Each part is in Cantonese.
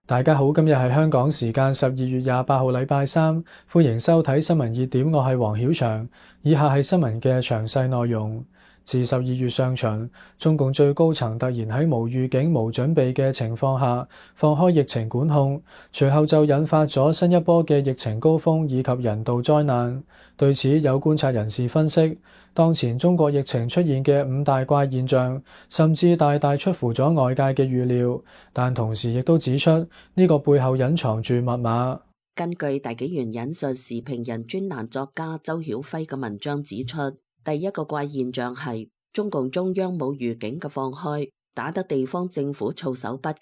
大家好，今日係香港時間12月28號，禮拜三，歡迎收睇新聞熱點，我係黃曉翔。以下係新聞嘅詳細內容。自12月上旬，中共最高層突然喺無預警、無準備嘅情況下放開疫情管控，隨後就引發咗新一波嘅疫情高峰以及人道災難。對此，有觀察人士分析，當前中國疫情出現嘅5大怪現象，甚至大大出乎咗外界嘅預料，但同時亦都指出呢個背後隱藏住密碼。根據大紀元引述時評人專欄作家周曉輝嘅文章指出，第一個怪現象係中共中央冇預警嘅放開，打得地方政府措手不及，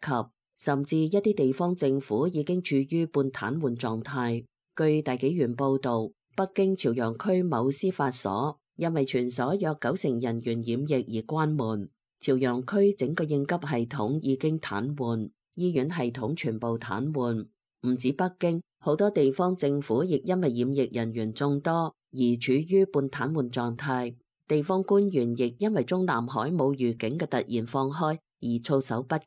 甚至一啲地方政府已經處於半癱瘓狀態。據大紀元報道，北京朝陽區某司法所因為全所約90%人員染疫而關門，朝陽區整個應急系統已經癱瘓，醫院系統全部癱瘓。唔止北京，好多地方政府亦因為染疫人員眾多而處於半癱瘓狀態，地方官員亦因為中南海冇預警嘅突然放開而措手不及，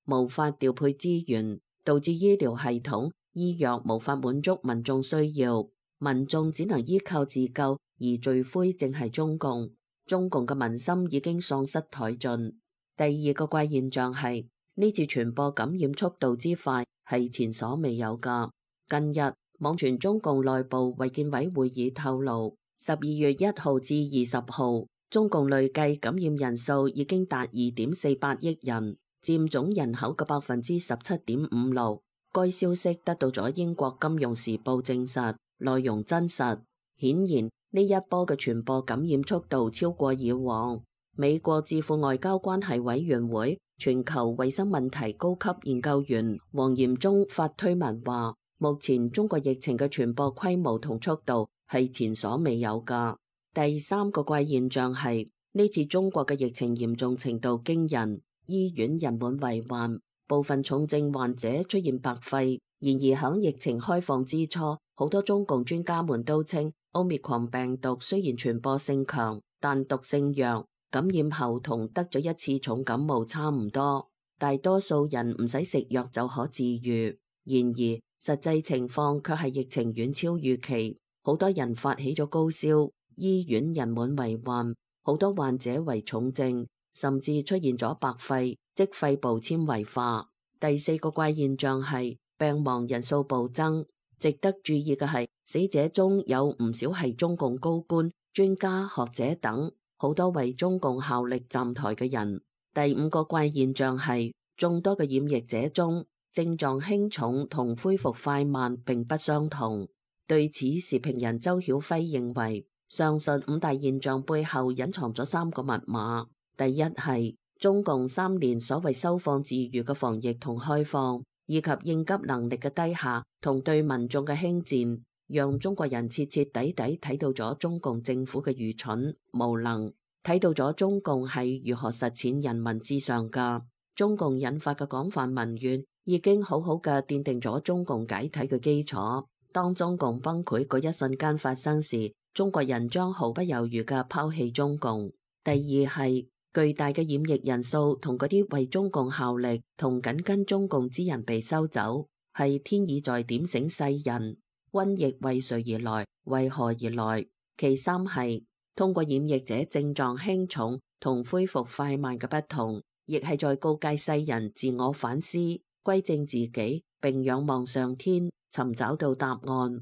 無法調配資源，導致醫療系統、醫藥無法滿足民眾需要，民眾只能依靠自救，而罪魁正係中共。中共嘅民心已經喪失殆盡。第二個怪現象係呢次傳播感染速度之快係前所未有㗎。近日網傳中共內部衛健委會議透露，12月1號至20號，中共累計感染人數已經達2.48億人，佔總人口嘅17.56%。該消息得到咗英國金融時報證實，內容真實。顯然呢一波嘅傳播感染速度超過以往。美國智庫外交關係委員會全球衛生問題高級研究員黃嚴忠發推文話，目前中國疫情嘅傳播規模同速度係前所未有㗎。第三個怪現象係呢次中國嘅疫情嚴重程度驚人，醫院人滿為患，部分重症患者出現白肺。然而響疫情開放之初，好多中共專家們都稱Omicron 病毒雖然傳播性強，但毒性弱，感染後同得咗一次重感冒差唔多，大多數人唔使食藥就可治愈。然而實際情況卻係疫情遠超預期，好多人發起咗高燒，醫院人滿為患，好多患者為重症，甚至出現咗白肺，即肺部纖維化。第四個怪現象係病亡人數暴增。值得注意嘅係，死者中有唔少係中共高官、專家、學者等，好多為中共效力站台嘅人。第五個怪現象係眾多嘅染疫者中，症狀輕重同恢復快慢並不相同。對此，時評人周曉輝認為，上述5大現象背後隱藏咗3個密碼。第一係中共3年所謂收放自如嘅防疫同開放，以及應急能力嘅低下同對民眾嘅輕賤，讓中國人徹徹底底睇到咗中共政府嘅愚蠢無能，睇到咗中共係如何實踐人民至上㗎。中共引發嘅廣泛民怨已經好好嘅奠定咗中共解體嘅基礎。當中共崩潰嗰一瞬間發生時，中國人將毫不猶豫嘅拋棄中共。第二係巨大嘅染疫人數同嗰啲為中共效力同緊跟中共之人被收走，係天意在點醒世人，瘟疫為誰而來，為何而來。其三係通過染疫者症狀輕重同恢復快慢嘅不同，亦係在告誡世人自我反思，歸正自己，並仰望上天，尋找到答案。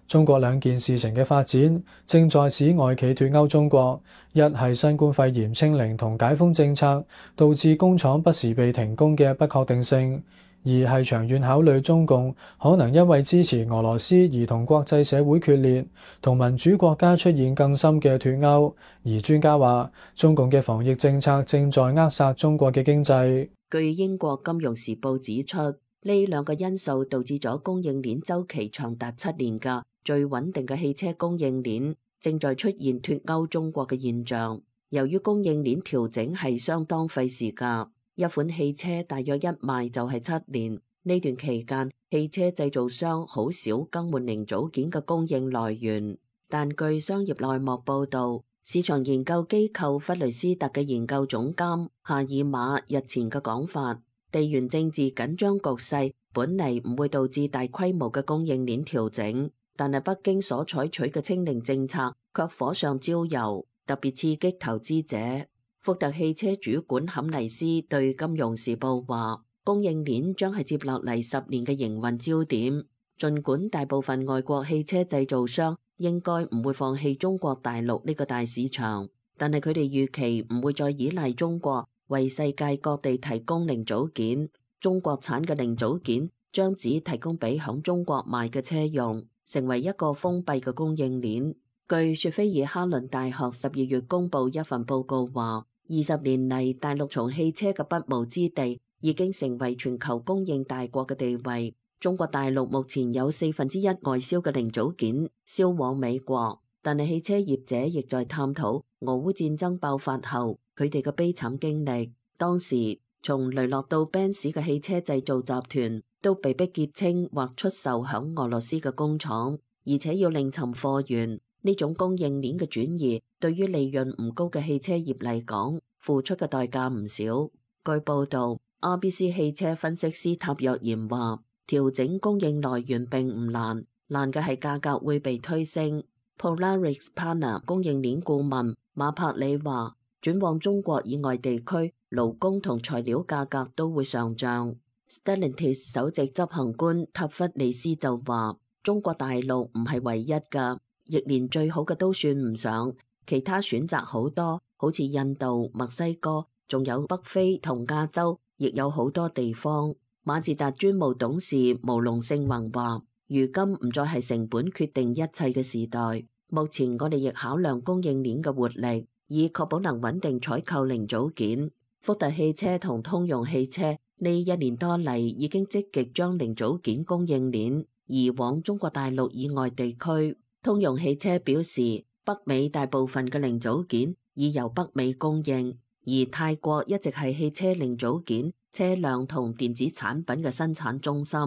中國兩件事情嘅發展正在使外企脫歐中國，一係新冠肺炎清零同解封政策導致工廠不時被停工嘅不確定性，二係長遠考慮中共可能因為支持俄羅斯而同國際社會決裂，同民主國家出現更深嘅脫歐。而專家話，中共嘅防疫政策正在扼殺中國嘅經濟。據英國金融時報指出，呢兩個因素導致咗供應鏈週期長達7年嘅最穩定嘅汽車供應鏈正在出現脫歐中國嘅現象。由於供應鏈調整係相當費時㗎，一款汽車大約一賣就係7年。呢段期間，汽車製造商好少更換零組件嘅供應來源。但據商業內幕報導，市場研究機構弗雷斯特嘅研究總監夏爾馬日前嘅講法，地緣政治緊張局勢本嚟唔會導致大規模嘅供應鏈調整，但係北京所採取嘅清零政策卻火上澆油，特別刺激投資者。福特汽車主管坎尼斯對《金融時報》話，供應鏈將係接落嚟10年嘅營運焦點。儘管大部分外國汽車製造商應該唔會放棄中國大陸呢個大市場，但係佢哋預期唔會再依賴中國為世界各地提供零組件。中國產嘅零組件將只提供俾響中國賣嘅車用，成為一個封閉嘅供應鏈。據雪菲爾哈倫大學12月公佈一份報告話，20年嚟大陸從汽車嘅不毛之地已經成為全球供應大國嘅地位。中國大陸目前有1/4外銷嘅零組件銷往美國，但係汽車業者亦在探討俄烏戰爭爆發後佢哋嘅悲慘經歷。當時從雷諾到賓士嘅汽車製造集團都被迫結清或出售響俄羅斯嘅工廠，而且要另尋貨源。呢種供應鏈嘅轉移對於利潤唔高嘅汽車業嚟講，付出嘅代價唔少。據報道，RBC 汽車分析師塔若言話，調整供應來源並唔難，難嘅係價格會被推升。Polaris Partner 供應鏈顧問馬柏里話，轉往中國以外地區，勞工同材料價格都會上漲。Stellantis 首席執行官塔弗利斯就話，中國大陸唔係唯一㗎，亦連最好嘅都算唔上，其他選擇好多，好似印度、墨西哥，仲有北非同亞洲，亦有好多地方。馬自達專務董事毛龍勝宏話，如今唔再係成本決定一切嘅時代，目前我哋亦考量供應鏈嘅活力，以確保能穩定採購零組件。福特汽車同通用汽車呢1年多嚟已經積極將零組件供應鏈移往中國大陸以外地區。通用汽車表示，北美大部分嘅零組件已由北美供應，而泰國一直係汽車零組件、車輛同電子產品嘅生產中心。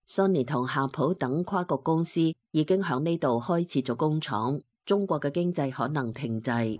Sony 同夏普等跨國公司已經響呢度開設咗工廠，中國嘅經濟可能停滯。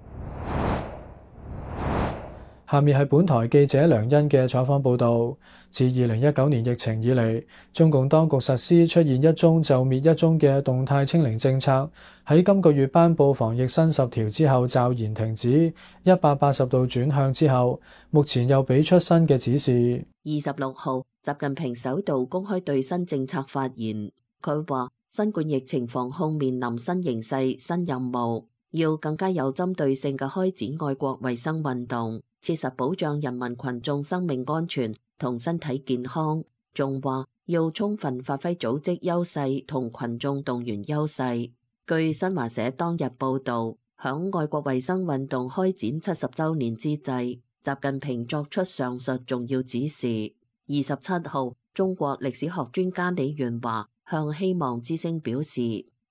下面係本台記者梁欣嘅採訪報導。自2019年疫情以嚟，中共當局實施出現一宗就滅一宗嘅動態清零政策，喺今個月頒布防疫新10條之後驟然停止，180度轉向之後，目前又俾出新嘅指示。26號，習近平首度公開對新政策發言，佢話新冠疫情防控面臨新形勢、新任務，要更加有針對性嘅開展愛國衛生運動，切實保障人民群眾生命安全同身體健康，仲話要充分發揮組織優勢同群眾動員優勢。據新華社當日報導，響愛國衛生運動開展70週年之際，習近平作出上述重要指示。27號，中國歷史學專家李元華向希望之聲表示，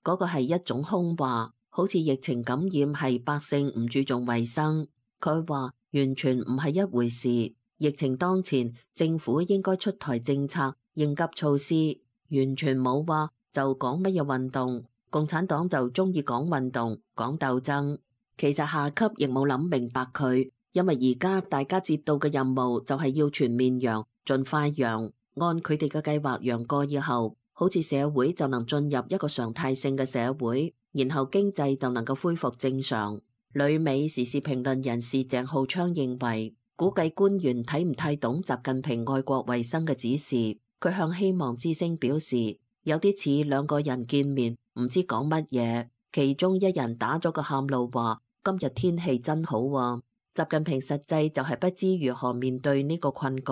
嗰個係一種空話，好似疫情感染係百姓唔注重衛生。佢話完全唔係一回事，疫情當前，政府應該出台政策應急措施，完全冇話就講乜嘢運動，共產黨就中意講運動講鬥爭。其實下級亦冇諗明白佢，因為而家大家接到嘅任務就係要全面陽，盡快陽，按佢哋嘅計劃陽過以後，好似社會就能進入一個常態性嘅社會，然後經濟就能夠恢復正常。旅美時事評論人士鄭浩昌認為，估計官員睇唔太懂習近平愛國衛生嘅指示。佢向希望之聲表示，有啲似兩個人見面唔知講乜嘢，其中一人打咗個喊路話今日天氣真好啊。習近平實際就係不知如何面對呢個困局，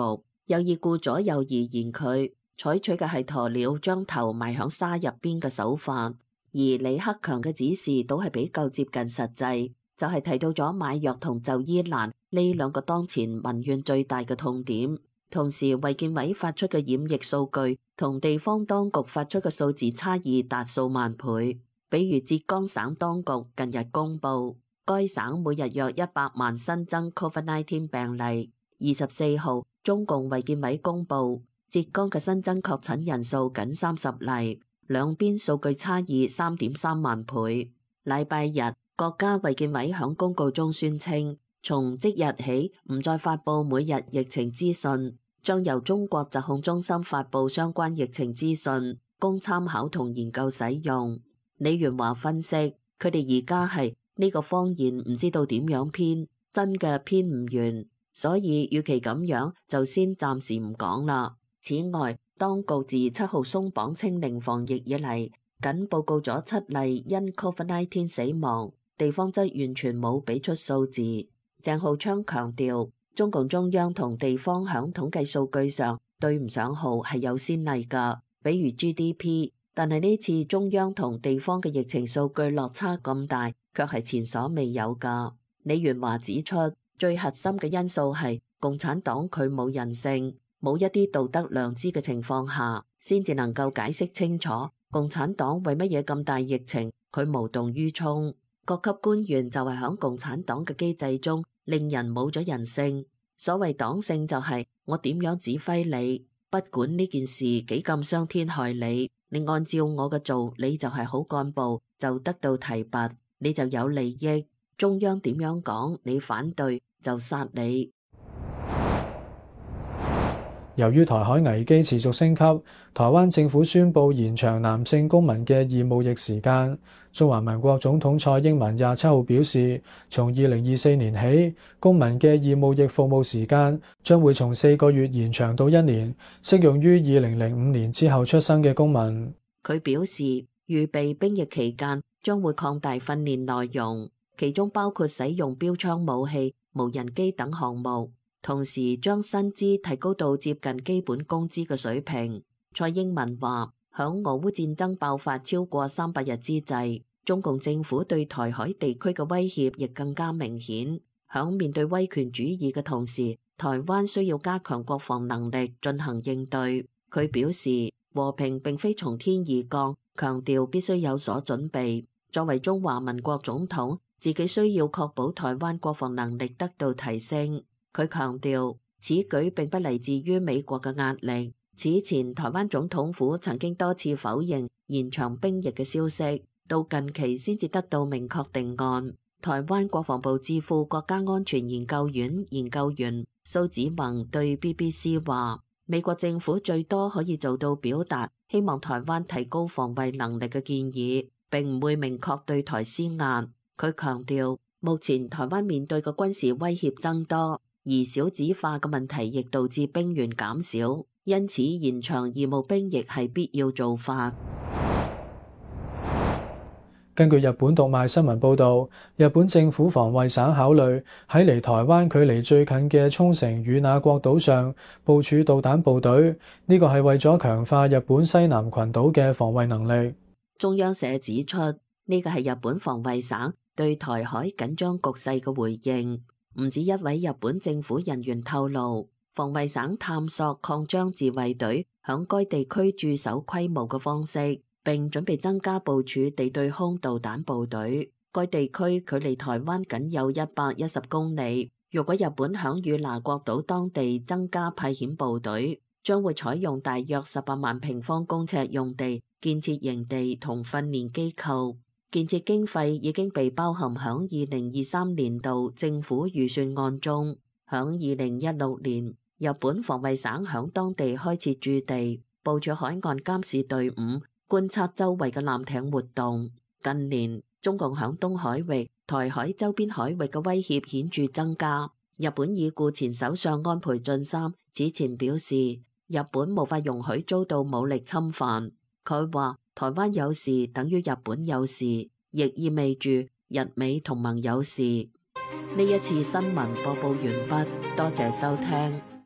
有意顧左右而言佢採取嘅係鴕鳥將頭埋響沙入邊嘅手法，而李克強嘅指示都係比較接近實際。就係提到咗買藥同就醫難呢兩個當前民怨最大嘅痛點，同時衛健委發出嘅染疫數據同地方當局發出嘅數字差異達數萬倍。比如浙江省當局近日公布，該省每日約100萬新增 COVID-19 病例。24號，中共衛健委公布，浙江嘅新增確診人數僅30例，兩邊數據差異3.3萬倍。禮拜日，國家衛健委響公告中宣稱，從即日起唔再發佈每日疫情資訊，將由中國疾控中心發佈相關疫情資訊，供參考同研究使用。李元華分析，佢哋而家係呢個謊言唔知道點樣編，真嘅編唔完，所以與其咁樣，就先暫時唔講啦。此外，當局自7號鬆綁清零防疫以嚟，僅報告咗7例因 COVID-19 死亡，地方則完全冇俾出數字。鄭浩昌強調，中共中央同地方響統計數據上對唔上號係有先例㗎，比如 GDP， 但係呢次中央同地方嘅疫情數據落差咁大，卻係前所未有㗎。李元華指出，最核心嘅因素係共產黨佢冇人性，冇一啲道德良知嘅情況下，先至能夠解釋清楚共產黨為乜嘢咁大疫情，佢無動於衷。各級官員就係響共產黨嘅機制中，令人冇咗人性。所謂黨性就係我點樣指揮你，不管呢件事幾咁傷天害理，你按照我嘅做，你就係好幹部，就得到提拔，你就有利益。中央點樣講，你反對就殺你。由於台海危機持續升級，台灣政府宣布延長男性公民嘅義務役時間。中華民國總統蔡英文27號表示，從2024年起，公民嘅義務役服務時間將會從4個月延長到1年，適用於2005年之後出生嘅公民。佢表示，預備兵役期間將會擴大訓練內容，其中包括使用標槍武器、無人機等項目。同時將薪資提高到接近基本工資嘅水平。蔡英文話，響俄烏戰爭爆發超過300日之際，中共政府對台海地區嘅威脅亦更加明顯。響面對威權主義嘅同時，台灣需要加強國防能力進行應對。佢表示，和平並非從天而降，強調必須有所準備。作為中華民國總統，自己需要確保台灣國防能力得到提升。佢強調，此舉並不嚟自於美國嘅壓力。此前，台灣總統府曾經多次否認延長兵役嘅消息，到近期先至得到明確定案。台灣國防部智庫國家安全研究院研究員蘇子宏對 BBC 話，美國政府最多可以做到表達希望台灣提高防衛能力嘅建議，並唔會明確對台施壓。佢強調，目前台灣面對嘅軍事威脅增多，而少子化嘅問題亦導致兵源減少，因此延長義務兵役係必要做法。根據日本讀賣新聞報導，日本政府防衛省考慮喺離台灣距離最近嘅沖繩與那國島上部署導彈部隊，呢個係為咗強化日本西南群島嘅防衛能力。中央社指出，呢個係日本防衛省對台海緊張局勢嘅回應。唔止一位日本政府人員透露，防衛省探索擴張自衛隊響該地區駐守規模嘅方式，並準備增加部署地對空導彈部隊。該地區距離台灣僅有110公里。如果日本響與那國島當地增加派遣部隊，將會採用大約18萬平方公尺用地建設營地同訓練機構。建設經費已經被包含響2023年度政府預算案中。響2016年，日本防衛省響當地開設駐地，部署海岸監視隊伍，觀察周圍嘅艦艇活動。近年，中共響東海域、台海周邊海域嘅威脅顯著增加。日本已故前首相安倍晉三此前表示，日本無法容許遭到武力侵犯。佢話，台灣有事等於日本有事，亦意味住日美同盟有事。呢一次新聞播報完畢，多謝收聽。